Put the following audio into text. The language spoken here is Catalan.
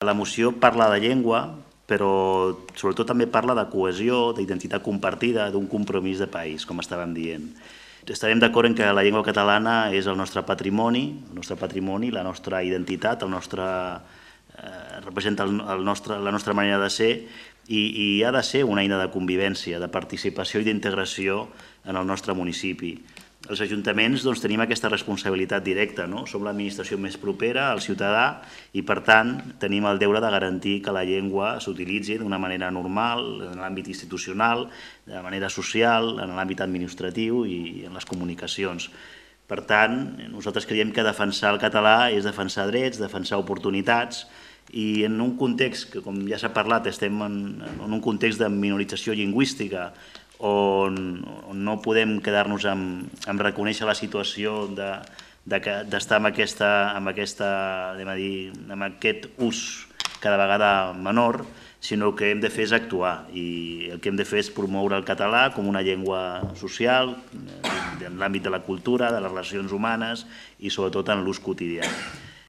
La moció parla de llengua, però sobretot també parla de cohesió, d'identitat compartida, d'un compromís de país, com estàvem dient. Estarem d'acord en que la llengua catalana és el nostre patrimoni, la nostra identitat, representa la nostra manera de ser i ha de ser una eina de convivència, de participació i d'integració en el nostre municipi. Els ajuntaments tenim aquesta responsabilitat directa, som l'administració més propera al ciutadà i, per tant, tenim el deure de garantir que la llengua s'utilitzi d'una manera normal, en l'àmbit institucional, de manera social, en l'àmbit administratiu i en les comunicacions. Per tant, nosaltres creiem que defensar el català és defensar drets, defensar oportunitats, i en un context que, com ja s'ha parlat, estem en un context de minorització lingüística, on no podem quedar-nos amb reconèixer la situació d'estar amb aquest ús cada vegada menor, sinó que hem de fer és actuar, i el que hem de fer és promoure el català com una llengua social, en l'àmbit de la cultura, de les relacions humanes i sobretot en l'ús quotidià.